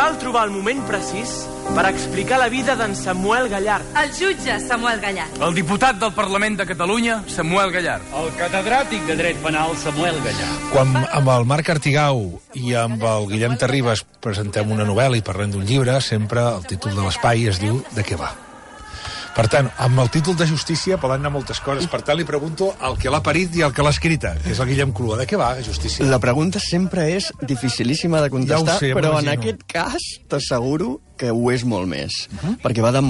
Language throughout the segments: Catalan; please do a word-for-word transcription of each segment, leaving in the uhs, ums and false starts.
cal trobar el moment precís per explicar la vida d'en Samuel Gallard. El jutge Samuel Gallard. El diputat del Parlament de Catalunya, Samuel Gallard. El catedràtic de dret penal, Samuel Gallard. Quan amb el Marc Artigau i amb el Guillem Terribas presentem una novel·la i parlem d'un llibre, sempre el títol de l'espai es diu De què va? Per tant, amb el títol de Justícia poden anar moltes coses. Per tant, li pregunto al que l'ha parit i al que l'ha escrita, que és el Guillem Clua. De què va, Justícia? La pregunta sempre és dificilíssima de contestar, ja sé, però en aquest cas t'asseguro que ho és molt més. Uh -huh. Perquè va de...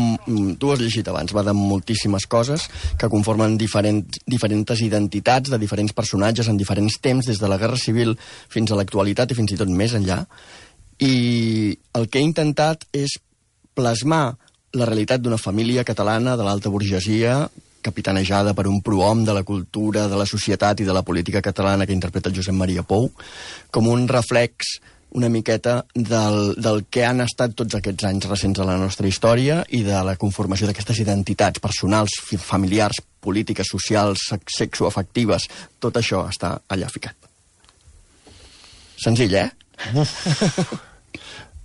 Tu ho has llegit abans, va de moltíssimes coses que conformen diferents, diferents identitats de diferents personatges en diferents temps, des de la Guerra Civil fins a l'actualitat i fins i tot més enllà. I el que he intentat és plasmar la realitat d'una família catalana de l'alta burgesia, capitanejada per un prohom de la cultura, de la societat i de la política catalana que interpreta el Josep Maria Pou, com un reflex una miqueta del, del que han estat tots aquests anys recents de la nostra història i de la conformació d'aquestes identitats personals, familiars, polítiques, socials, sexoafectives. Tot això està allà ficat. Senzill, eh?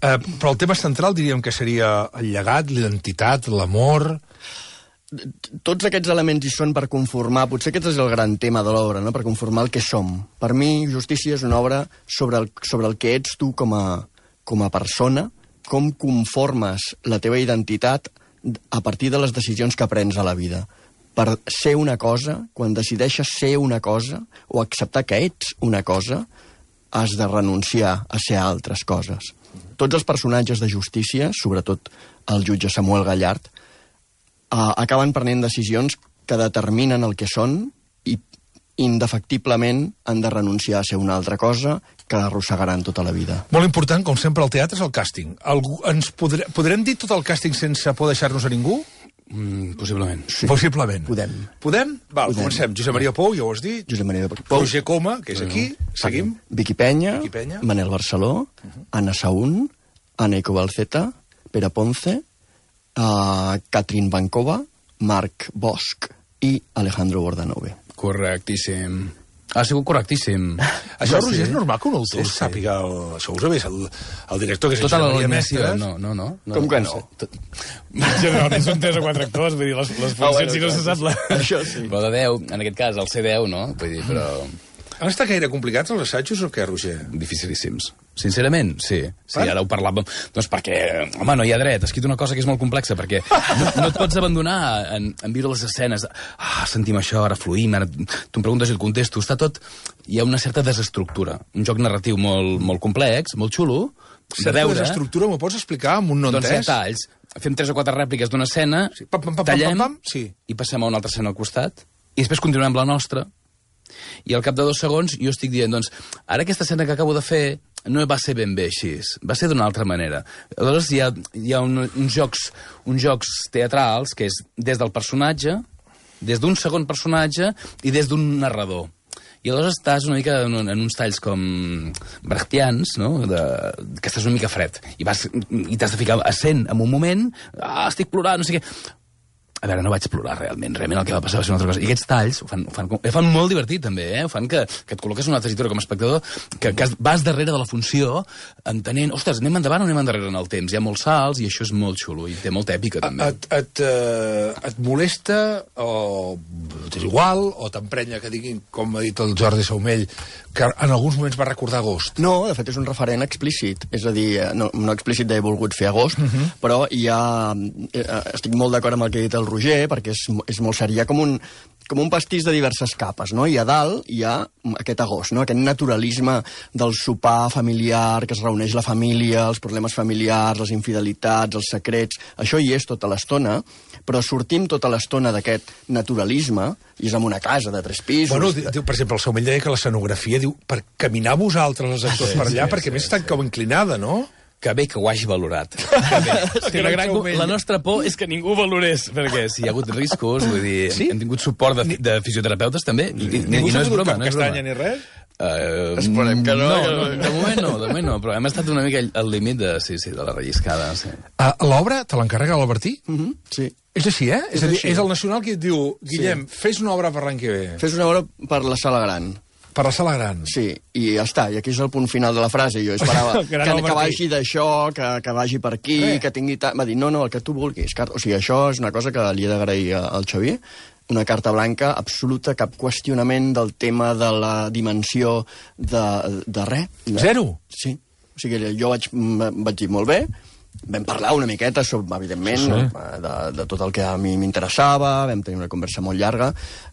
Uh, però el tema central diríem que seria el llegat, l'identitat, l'amor... Tots aquests elements hi són per conformar, potser aquest és el gran tema de l'obra, no? Per conformar el que som. Per mi, Justícia és una obra sobre el, sobre el que ets tu com a, com a persona, com conformes la teva identitat a partir de les decisions que prens a la vida. Per ser una cosa, quan decideixes ser una cosa, o acceptar que ets una cosa, has de renunciar a ser altres coses. Tots els personatges de Justícia, sobretot el jutge Samuel Gallard, uh, acaben prenent decisions que determinen el que són i indefectiblement han de renunciar a ser una altra cosa que arrossegaran tota la vida. Molt important, com sempre, al teatre és el càsting. Algú, ens podrem, podrem dir tot el càsting sense por deixar-nos a ningú? Mm, possiblement. Sí. Possiblement. Podem. Podem? Val, Podem. Comencem. Josep Maria Pou, ja ho has dit. Josep Maria Pou. Roger Coma, que és aquí. Seguim. Vicky Penya, Vicky Penya. Manel Barceló, uh -huh. Anna Saún, Anna Ecobalceta, Pere Ponce, uh, Catherine Bancova, Marc Bosch i Alejandro Bordanove. Correctíssim. Ha sigut correctíssim. Això, Sí. Roger, és normal que un autor Sí, sí. sàpiga... El, això ho sabés el, el director, que és Tota en la Josep Maria alineació, Mestres. no, no, no. no Com que no? sé. Tot- Generalment són tres o quatre actors, vull dir, les, les funcions, Ah, bueno, si no clar. se sap la... Això sí. Però de deu, en aquest cas, el C deu, no? Vull dir, però... Han estat gaire complicats els assajos o què, Roger? Dificilíssims. Sincerament, sí. Sí, Per? ara ho parlàvem. Doncs perquè, home, no hi ha dret. Has escrit una cosa que és molt complexa, perquè no, no et pots abandonar en, en viure les escenes. Ah, sentim això, ara fluïm, ara tu em preguntes i et contesto. Està tot... Hi ha una certa desestructura. Un joc narratiu molt, molt complex, molt xulo, de Certa veure. desestructura, m'ho pots explicar amb un no Doncs hi ha entès? talls. Fem tres o quatre rèpliques d'una escena, Sí. Pam, pam, pam, tallem pam, pam, sí. i passem a una altra escena al costat, i després continuem amb la nostra, i al cap de dos segons jo estic dient, doncs, ara aquesta escena que acabo de fer no va ser ben bé així, va ser d'una altra manera. Aleshores hi ha, hi ha un, uns, jocs, uns jocs teatrals que és des del personatge, des d'un segon personatge i des d'un narrador. I aleshores estàs una mica en, en uns talls com brechtians, no? De, que estàs una mica fred. I vas i t'has de ficar a cent en un moment, ah, estic plorant, no sé què... A veure, no vaig plorar realment, realment el que va passar va ser una altra cosa. I aquests talls ho fan, ho fan, ho fan molt divertit, també, eh? Ho fan que, que et col·loques en una tessitura com a espectador, que, que vas darrere de la funció, entenent, ostres, anem endavant o anem endarrere en el temps? Hi ha molts salts i això és molt xulo, i té molta èpica, també. Et, et, eh, et molesta o t'és igual o t'emprenya que diguin, com ha dit el Jordi Saumell, que en alguns moments va recordar agost? No, de fet és un referent explícit, és a dir, no, no explícit d'he volgut fer agost, uh -huh. però hi ha... Estic molt d'acord amb el que ha dit el Roger, perquè és, és molt cert, hi ha com un, com un pastís de diverses capes, no? I a dalt hi ha aquest agost, no? Aquest naturalisme del sopar familiar, que es reuneix la família, els problemes familiars, les infidelitats, els secrets... Això hi és tota l'estona, però sortim tota l'estona d'aquest naturalisme, i és en una casa de tres pisos... Bueno, diu, per exemple, el Saumell deia que l'escenografia, diu, per caminar vosaltres, els actors, Sí, per allà, sí, perquè sí, més està com inclinada, no? Que bé que ho hagi valorat. Que bé. Que la, gran, la nostra por és que ningú ho valorés. Perquè si hi ha hagut riscos, vull dir, Sí? hem tingut suport de, de fisioterapeutes, també, i, i, Ningú i s'ha no és fotut broma, cap no és castanya broma. ni res? Uh, Esperem que no, no, que no. no. De moment no, de moment no, però hem estat una mica al límit de, sí, sí, de la relliscada. Sí. Uh, L'obra te l'encarrega l'Albertí? Uh -huh, sí. És així, eh? És, És a dir, així. és el Nacional qui et diu, Guillem, sí. fes una obra per l'any que ve. Fes una obra per la sala gran. Per la sala gran. Sí, i ja està, i aquí és el punt final de la frase. Jo esperava que, que vagi d'això, que, que vagi per aquí, eh. que tingui... Ta... Va dir, no, no, el que tu vulguis. O sigui, això és una cosa que li he d'agrair al Xavier, una carta blanca absoluta, cap qüestionament del tema de la dimensió de, de res. Zero? Sí. O sigui, jo vaig, vaig dir molt bé, vam parlar una miqueta, sobre, evidentment, sí. de, de tot el que a mi m'interessava, vam tenir una conversa molt llarga,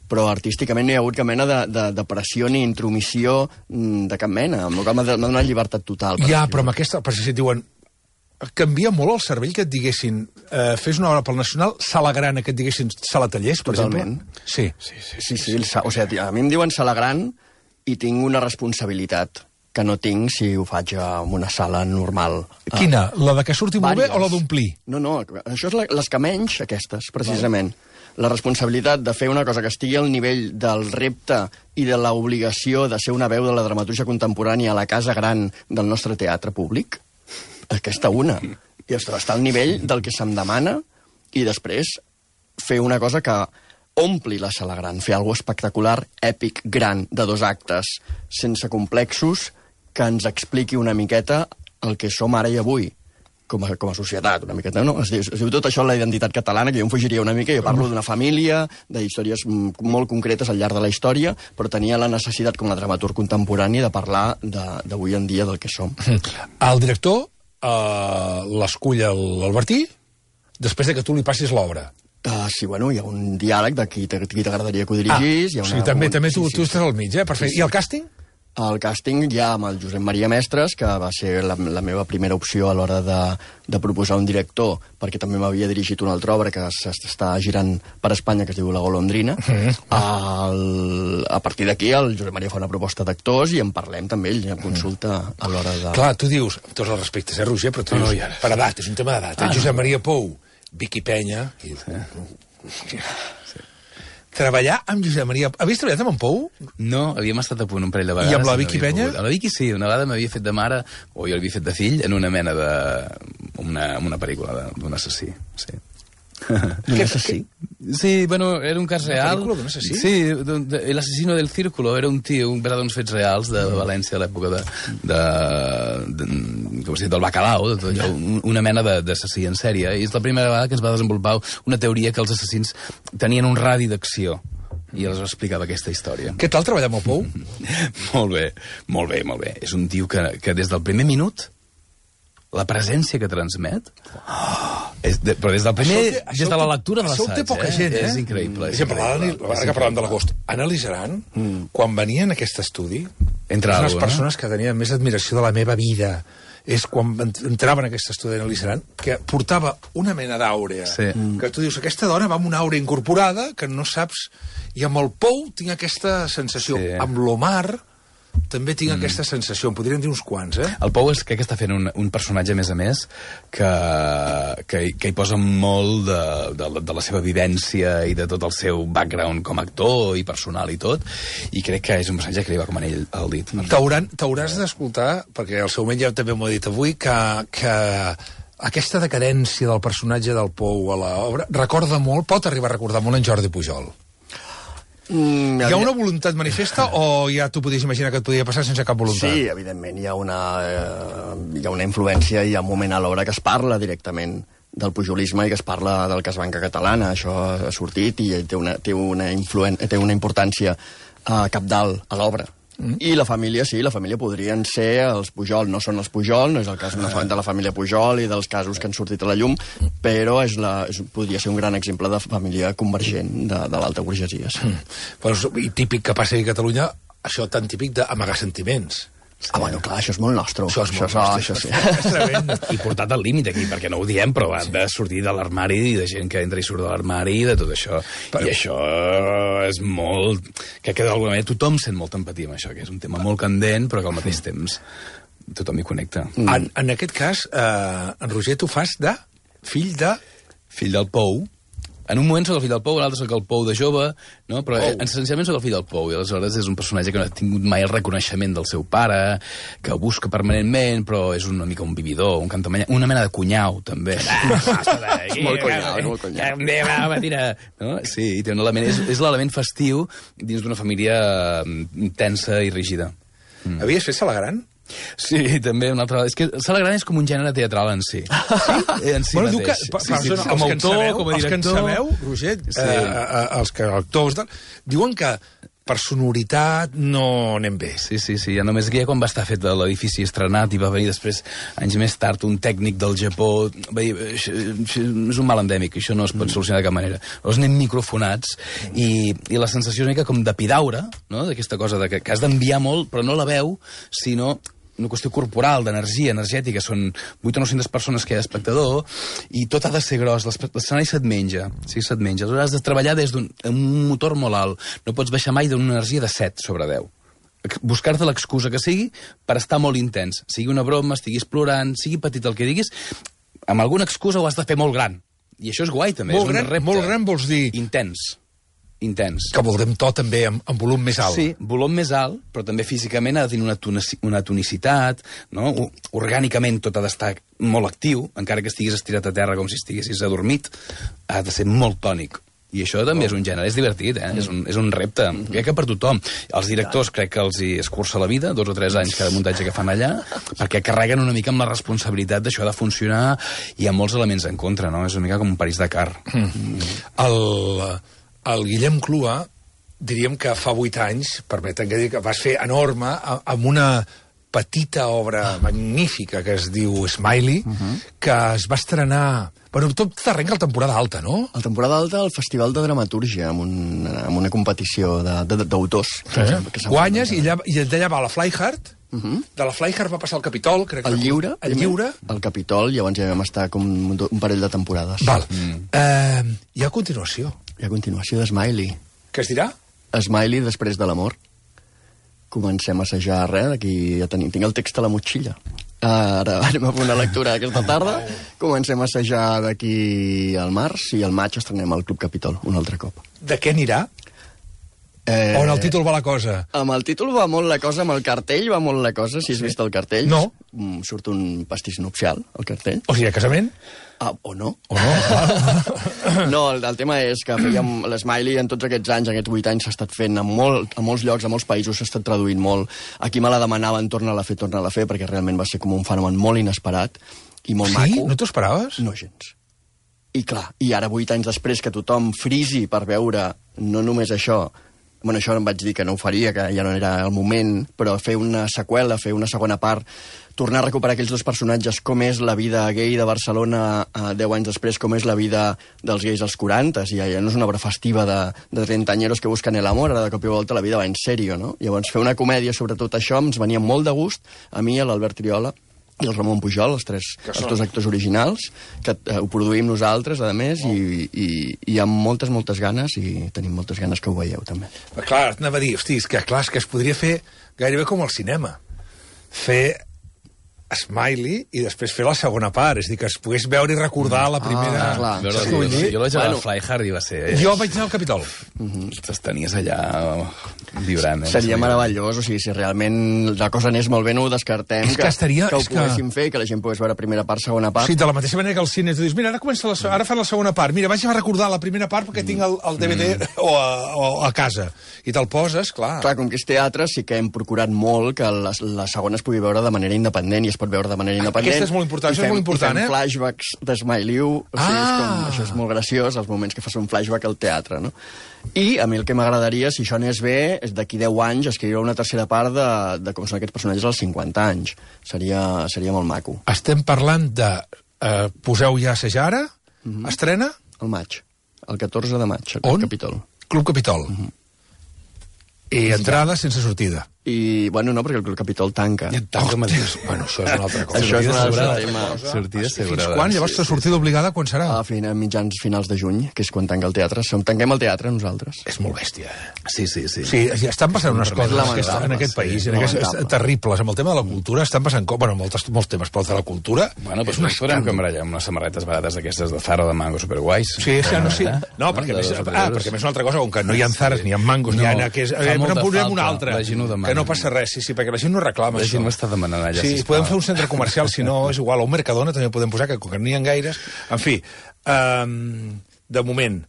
però artísticament no hi ha hagut cap mena de, de, de pressió ni intromissió de cap mena, amb el qual m'ha donat llibertat total. Ja, però amb aquesta... Per si et diuen, canvia molt el cervell que et diguessin eh, fes una obra pel Nacional, sala gran, que et diguessin sala tallers, per Totalment. exemple? Sí. Sí, sí, sí, sí, sí. O sigui, a mi em diuen sala gran i tinc una responsabilitat que no tinc si ho faig en una sala normal. Quina? La de que surti molt bé o la d'omplir? No, no, això és la, les que menys, aquestes, precisament. La responsabilitat de fer una cosa que estigui al nivell del repte i de l'obligació de ser una veu de la dramatúrgia contemporània a la casa gran del nostre teatre públic, aquesta una. I està al nivell del que se'm demana i després fer una cosa que ompli la sala gran, fer alguna espectacular, èpic, gran, de dos actes, sense complexos, que ens expliqui una miqueta el que som ara i avui, com a, com a societat, una miqueta, no? Es diu, es diu tot això la identitat catalana, que jo em fugiria una mica, jo parlo d'una família, d'històries molt concretes al llarg de la història, però tenia la necessitat, com a dramaturg contemporani, de parlar d'avui en dia del que som. El director eh, l'escull l'Albertí després de que tu li passis l'obra. Uh, sí, bueno, hi ha un diàleg de qui t'agradaria que ho dirigís. Ah, hi ha una, o sigui, també, un... també tu, sí, sí, tu estàs al mig, eh? Perfecte. Sí, sí. I el càsting? El càsting ja amb el Josep Maria Mestres, que va ser la, la meva primera opció a l'hora de, de proposar un director, perquè també m'havia dirigit una altra obra que s'està girant per Espanya, que es diu La Golondrina. Mm. El, a partir d'aquí el Josep Maria fa una proposta d'actors i en parlem també, ell ja consulta a l'hora de... Clar, tu dius, amb tots els respectes, eh, Roger, però tu dius, no, per edat, és un tema d'edat. Ah, eh? Josep Maria Pou, Vicky Penya... I... Sí. Treballar amb Josep Maria... Havies treballat amb en Pou? No, havíem estat a punt un parell de vegades. I amb la Vicky no Penya? Amb la Vicky sí, una vegada m'havia fet de mare, o jo l'havia fet de fill, en una mena de... una, una pel·lícula d'un assassí, sí. ¿Un assassí? Sí, bueno, era un cas Una real. pel·lícula d'un assassí? Sí, El asesino del círculo era un tio, un verà d'uns fets reals de València a l'època de, de, de, com es diu, del bacalao, de tot allò, una mena d'assassí en sèrie. I és la primera vegada que es va desenvolupar una teoria que els assassins tenien un radi d'acció. I els explicava aquesta història. Què tal treballar amb el Pou? Molt bé, molt bé, molt bé. És un tio que, que des del primer minut, la presència que transmet... Oh, és de, però des del primer... Això té, això des de la lectura de l'assaig, això té poca gent, eh? És increïble. És increïble. Ara que parlàvem de l'agost, Anna Lizaran, mm. quan venia en aquest estudi, Entra és unes algo, persones no? que tenien més admiració de la meva vida. És quan entrava en aquest estudi d'Anna Lizaran, que portava una mena d'àurea. Sí. Que tu dius, aquesta dona va amb una àurea incorporada, que no saps... I amb el Pou tinc aquesta sensació. Sí. Amb l'Omar també tinc mm. aquesta sensació. En podríem dir uns quants, eh? El Pou és que està fent un, un personatge, a més a més, que, que, que hi posa molt de, de, de la seva vivència i de tot el seu background com a actor i personal i tot, i crec que és un personatge que li va com anell al dit. T'hauràs d'escoltar, perquè el seu ja també m'ho ha dit avui, que, que aquesta decadència del personatge del Pou a l'obra recorda molt, pot arribar a recordar molt en Jordi Pujol. Mm, hi ha una voluntat manifesta o ja tu podies imaginar que et podia passar sense cap voluntat? Sí, evidentment, hi ha una, eh, hi ha una influència, hi ha un moment a l'obra que es parla directament del pujolisme i que es parla del cas Banca Catalana. Això ha sortit i té una, té una, influen té una importància eh, cabdal a l'obra. Mm. I la família, sí, la família podrien ser els Pujol, no són els Pujol, no és el cas de la família Pujol i dels casos que han sortit a la llum, però és la, és, podria ser un gran exemple de família convergent de, de l'alta burgesia. Sí. Mm. Però, i típic que passa a Catalunya, això tan típic d'amagar sentiments. Ah, bueno, clar, això és molt nostre. Això és molt això, nostre. Això, sí. I portat al límit aquí, perquè no ho diem, però ha de sortir de l'armari i de gent que entra i surt de l'armari i de tot això. Però... I això és molt... Que d'alguna manera tothom sent molta empatia amb això, que és un tema molt candent, però que al mateix temps tothom hi connecta. Mm. En, en aquest cas, eh, en Roger, tu fas de fill de... Fill del Pou, En un moment soc el fill del Pou, en l'altre soc el Pou de jove, no? Però oh. essencialment soc el fill del Pou, i aleshores és un personatge que no ha tingut mai el reconeixement del seu pare, que ho busca permanentment, però és una mica un vividor, un cantamanya, una mena de cunyau, també. Ah, molt cunyau, molt cunyau. No? Sí, i té un element, és, és l'element festiu dins d'una família tensa i rígida. Mm. Havies fet Sala Gran? Sí, també una altra... És que Sala Gran és com un gènere teatral en si. Sí? En si bueno, mateix. Que, per, sí, sí, sí, sí, com a autor, sabeu, com a director... Els que en sabeu, Roger, sí. eh, eh, els que actors... Diuen que per sonoritat no anem bé. Sí, sí, sí. Ja només que ja quan va estar fet l'edifici estrenat i va venir després, anys més tard, un tècnic del Japó... Va dir, això, això és un mal endèmic, això no es pot solucionar de cap manera. Llavors anem microfonats i, i la sensació és una mica com d'epidaura, no? D'aquesta cosa de que, que has d'enviar molt, però no la veu, sinó una qüestió corporal, d'energia, energètica. Són vuit o nou-centes persones que hi ha d'espectador i tot ha de ser gros. L'escenari se't menja. Sí, se't menja. Aleshores has de treballar des d'un motor molt alt. No pots baixar mai d'una energia de set sobre deu. Buscar-te l'excusa que sigui per estar molt intens. Sigui una broma, estiguis plorant, sigui petit el que diguis, amb alguna excusa ho has de fer molt gran. I això és guai, també. Molt és gran, un repte. molt gran vols dir... Intens. Intens. Que voldrem tot també amb, amb volum més alt. Sí, volum més alt, però també físicament ha de tenir una, tonici, una tonicitat, no? Orgànicament tot ha d'estar molt actiu, encara que estiguis estirat a terra com si estiguessis adormit, ha de ser molt tònic. I això també oh. és un gènere, és divertit, eh? Mm. És, un, és un repte, mm -hmm. crec que per tothom. Els directors crec que els hi escurça la vida, dos o tres anys cada muntatge que fan allà, perquè carreguen una mica amb la responsabilitat d'això de funcionar, i hi ha molts elements en contra, no? És una mica com un París-Dakar. Mm. Mm. El... El Guillem Clua, diríem que fa vuit anys, permeten que digui que vas fer enorme, amb una petita obra magnífica que es diu Smiley, uh -huh. que es va estrenar... Bueno, tot t'arrenca la temporada alta, no? La temporada alta al Festival de Dramatúrgia, amb, un, amb una competició d'autors. Eh? Guanyes i allà, i d'allà va la Flyhard, uh -huh. de la Flyhard va passar al Capitol, crec. El Lliure. El Lliure. El Capitol, llavors ja vam estar com un parell de temporades. Val. Mm. Eh, hi ha continuació. I a continuació de Smiley. Què es dirà? Smiley després de l'amor. Comencem a assajar res, d'aquí ja tenim, tinc el text a la motxilla. Ara anem a fer una lectura aquesta tarda, comencem a assajar d'aquí al març i al maig estrenem al Club Capitol un altre cop. De què anirà? Eh... On el títol va la cosa? Amb el títol va molt la cosa, amb el cartell va molt la cosa, si has sí. vist el cartell. No. Surt un pastís nupcial, el cartell. O sigui, a casament? Ah, o no. O no. No, el, el tema és que fèiem l'Smiley en tots aquests anys, aquests vuit anys, s'ha estat fent a, molt, a molts llocs, a molts països, s'ha estat traduint molt. Aquí me la demanaven, torna-la a fer, torna-la a fer, perquè realment va ser com un fenomen molt inesperat i molt sí? maco. Sí? No t'ho esperaves? No gens. I clar, i ara vuit anys després que tothom frisi per veure no només això... Bueno, això em vaig dir que no ho faria, que ja no era el moment, però fer una seqüela, fer una segona part, tornar a recuperar aquells dos personatges, com és la vida gay de Barcelona eh, deu anys després, com és la vida dels gais als quaranta, i ja, ja no és una obra festiva de, de trentañeros que busquen el amor, ara de cop i volta la vida va en sèrio, no? Llavors fer una comèdia sobre tot això ens venia molt de gust, a mi, a l'Albert Triola, i el Ramon Pujol, els, tres, els dos actors originals, que eh, ho produïm nosaltres, a més, oh. i, i, i amb moltes, moltes ganes, i tenim moltes ganes que ho veieu, també. Però clar, anava a dir, hosti, és que, clar, és que es podria fer gairebé com al cinema. Fer Smiley i després fer la segona part, és a dir, que es pogués veure i recordar la primera... Ah, clar. Veure, sí, sí, jo vaig a bueno. la Flyhard i va ser... Eh? Jo vaig anar al Capitol. Uh-huh. Tenies allà vibrant. Eh? Seria meravellós, o sigui, si realment la cosa anés molt bé, no ho descartem, és que, que, estaria, que ho és poguéssim que... fer, que la gent pogués veure primera part, segona part. Sí, de la mateixa manera que al cine tu dius, mira, ara comença la, ara fan la segona part, mira, vaig a recordar la primera part perquè tinc el, el D V D mm. o, a, o a casa. I te'l poses, clar. Clar, com que és teatre, sí que hem procurat molt que la, la segona es pugui veure de manera independent i es pot veure de manera independent. Aquesta és molt important, això és molt important, eh? I fem flashbacks d'Smiley, o sigui, ah. és com, això és molt graciós, els moments que fas un flashback al teatre, no? I a mi el que m'agradaria, si això anés bé, és d'aquí deu anys escriure una tercera part de, de com són aquests personatges als cinquanta anys. Seria, seria molt maco. Estem parlant de... Eh, poseu ja a assajar ara? Mm-hmm. Estrena? El maig. El catorze de maig, al On? Capitol. Club Capitol. Mm-hmm. I entrada sense sortida. I, bueno, no, perquè el Capitol tanca. Tanca mateix. Bueno, això és una altra cosa. Això és un altre assegurada. tema. Sortida Fins assegurada. quan? Llavors, la sortida obligada, quan serà? A fin, a mitjans finals de juny, que és quan tanca el teatre. Som, tanquem el teatre nosaltres. És molt bèstia, eh? Sí, sí, sí. Sí, ja estan passant unes coses lamentable, en aquest país, sí, en aquest, lamentable. terribles. Amb el tema de la cultura estan passant coses, bueno, moltes, molts temes, però el de la cultura Bueno, és doncs un ens podem escàndol. cambrar amb unes samarretes barates d'aquestes de Zara de mango superguais. Sí, sí, no, sí. Eh? No, perquè, De més, dos o tres ah, euros. perquè més una altra cosa, com que no hi ha zares, ni hi ha mangos, ni hi No, ha... Que és, fa eh, molta no posem falta, una altra, la gent ho demana. que no passa res, sí, sí, perquè la gent no reclama La això. gent m'està demanant allà, Sí, sisplau. podem fer un centre comercial, si no, és igual, o un Mercadona també podem posar, que com que no n'hi ha gaires. En fi, um, de moment,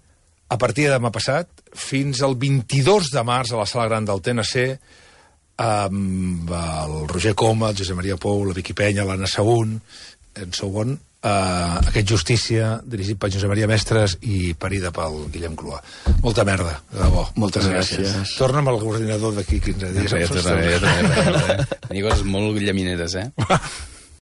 a partir de demà passat, fins al vint-i-dos de març a la Sala Gran del T N C, amb el Roger Coma, el Josep Maria Pou, la Vicky Penya, l'Anna Saún, en segon, uh, aquest Justícia, dirigit per Josep Maria Mestres i parida pel Guillem Cluà. Molta merda, de debò. Moltes gràcies. Torna'm al coordinador d'aquí quinze dies. Ja, ja, ja, ja, ja, ja. Tenia coses molt llamineres, eh?